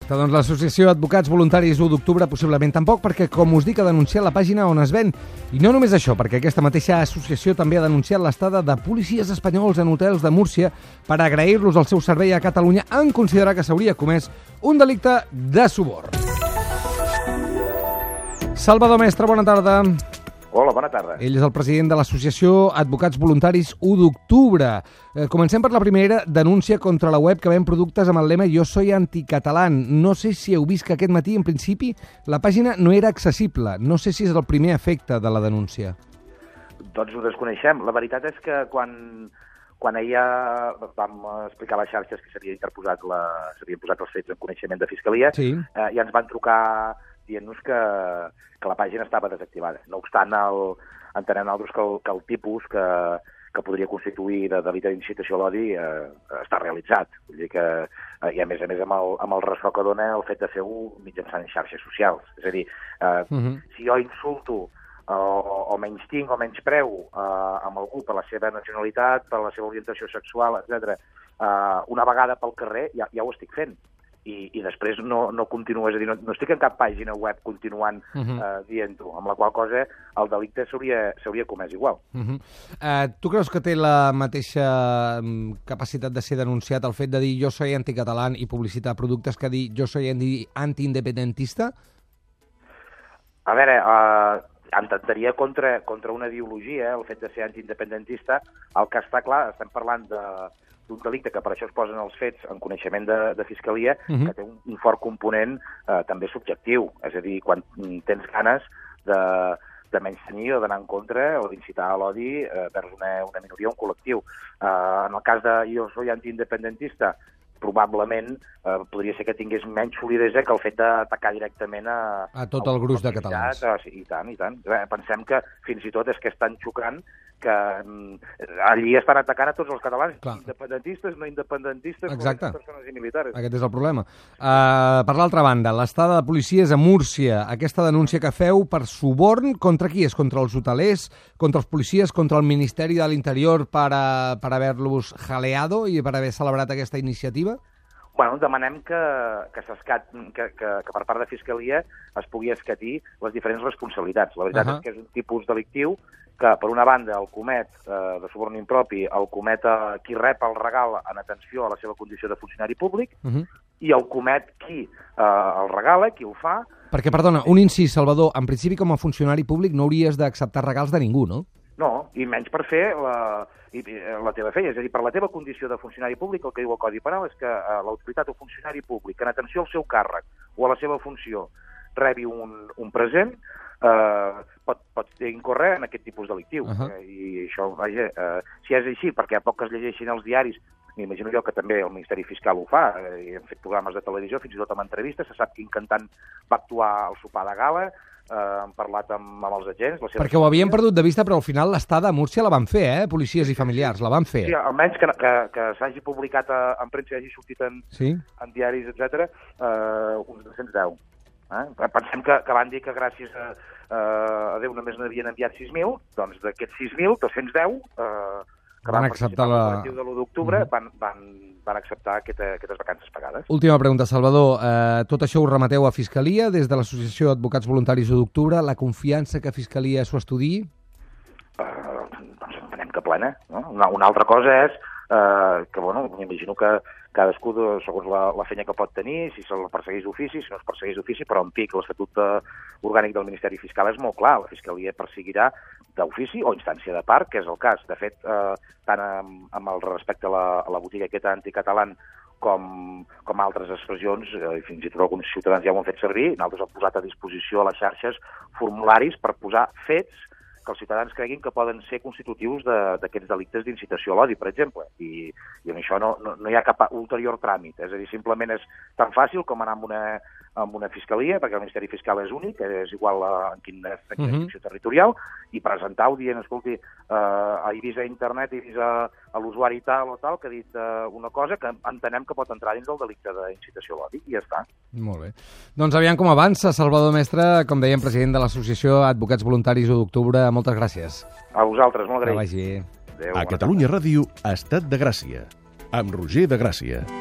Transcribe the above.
Perfecte, doncs l'associació Advocats Voluntaris 1 d'octubre possiblement tampoc, perquè, com us dic, ha denunciat la pàgina on es ven. I no només això, perquè aquesta mateixa associació també ha denunciat l'estada de policies espanyols en hotels de Múrcia per agrair-los el seu servei a Catalunya en considerar que s'hauria comès un delicte de suborn. Salvador Mestre, bona tarda. Hola, bona tarda. Ell és el president de l'associació Advocats Voluntaris 1 d'octubre. Comencem per la primera denúncia contra la web que ven productes amb el lema Jo soy anticatalán. No sé si heu vist que aquest matí, en principi, la pàgina no era accessible. No sé si és el primer efecte de la denúncia. Doncs ho desconeixem. La veritat és que quan ahir vam explicar a les xarxes que s'havien posat els fets en coneixement de Fiscalia, sí. Ja ens van trucar dient-nos que la pàgina estava desactivada. No obstant, entenem nosaltres que el tipus que podria constituir de delicte d'incitació a l'odi està realitzat. Vull dir que, i a més amb el ressò que dona el fet de fer-ho mitjançant xarxes socials. És a dir, si jo insulto o menystinc o menyspreu amb algú per la seva nacionalitat, per la seva orientació sexual, etc., una vegada pel carrer, ja ho estic fent. I després no continuo, és a dir, no estic en cap pàgina web continuant dient-ho, amb la qual cosa el delicte s'hauria comès igual. Tu creus que té la mateixa capacitat de ser denunciat el fet de dir jo soy anticatalán i publicitar productes que dir jo soy antiindependentista? A veure, intentaria contra una ideologia, el fet de ser antiindependentista. El que està clar, estem parlant d'un delicte que per això es posen els fets en coneixement de Fiscalia, que té un fort component també subjectiu. És a dir, quan tens ganes de menystenir o d'anar en contra o d'incitar a l'odi vers una minoria o un col·lectiu. En el cas de jo soy antiindependentista, probablement podria ser que tingués menys solidesa que el fet d'atacar directament a tot el gruix de catalans. I tant. Pensem que fins i tot és que és tan xocant que allí estan atacant a tots els catalans, independentistes, no independentistes, persones i militares. Aquest és el problema. Per l'altra banda, l'estada de policies a Múrcia, aquesta denúncia que feu per suborn, contra qui és? Contra els hotelers, contra els policies, contra el Ministeri de l'Interior per haver-los jaleado i per haver celebrat aquesta iniciativa? Bueno, demanem que per part de Fiscalia es pugui escatir les diferents responsabilitats. La veritat és que és un tipus delictiu que, per una banda, el comet de suborn impropi, el comet qui rep el regal en atenció a la seva condició de funcionari públic, i el comet qui el regala, qui ho fa... Perquè, perdona, un incís, Salvador, en principi com a funcionari públic no hauries d'acceptar regals de ningú, no? No, i menys per fer la teva feina. És a dir, per la teva condició de funcionari públic, el que diu el Codi Penal és que l'autoritat o funcionari públic, en atenció al seu càrrec o a la seva funció, rebi un present, pot incórrer en aquest tipus delictiu. I això, vaja, si és així, perquè a poc que es llegeixin els diaris, m'imagino jo que també el Ministeri Fiscal ho fa, i hem fet programes de televisió, fins i tot amb entrevistes, se sap quin cantant va actuar al sopar de gala, hem parlat amb els agents... Perquè ho havien perdut de vista, però al final l'estada a Múrcia la van fer, policies i familiars, la van fer. Sí, almenys que s'hagi publicat en premsa i hagi sortit en diaris, etc., uns 210. Pensem que van dir que gràcies a Déu només n'havien enviat 6.000, doncs d'aquests 6.000, 210 que van acceptar l'operatiu de l'1 d'octubre van acceptar aquestes vacances pagades. Última pregunta, Salvador. Tot això ho remeteu a Fiscalia des de l'Associació Advocats Voluntaris 1 d'octubre. La confiança que Fiscalia s'ho estudiï? Doncs entenem que plena. Una altra cosa és que, bueno, m'imagino que cadascú, segons la feina que pot tenir, si se'l persegueix d'ofici, si no es persegueix d'ofici, però en pic l'Estatut Orgànic del Ministeri Fiscal és molt clar. La Fiscalia perseguirà d'ofici o instància de part, que és el cas. De fet, tant amb el respecte a la botiga aquesta anticatalán com altres expressions, fins i tot alguns ciutadans ja ho han fet servir, nosaltres hem posat a disposició a les xarxes formularis per posar fets que els ciutadans creguin que poden ser constitutius d'aquests delictes d'incitació a l'odi, per exemple. I en això no hi ha cap ulterior tràmit. És a dir, simplement és tan fàcil com anar amb una fiscalia, perquè el Ministeri Fiscal és únic, és igual en quina secció territorial, i presentar-ho dient, escolti, he vist a internet, he vist a l'usuari tal o tal, que ha dit una cosa que entenem que pot entrar dins del delicte d'incitació a l'odi, i ja està. Molt bé. Doncs aviam com avança. Salvador Mestre, com dèiem, president de l'Associació Advocats Voluntaris 1 d'octubre. Moltes gràcies. A vosaltres, molt agraït. Que vagi. A Catalunya Ràdio, Estat de Gràcia, amb Roger de Gràcia.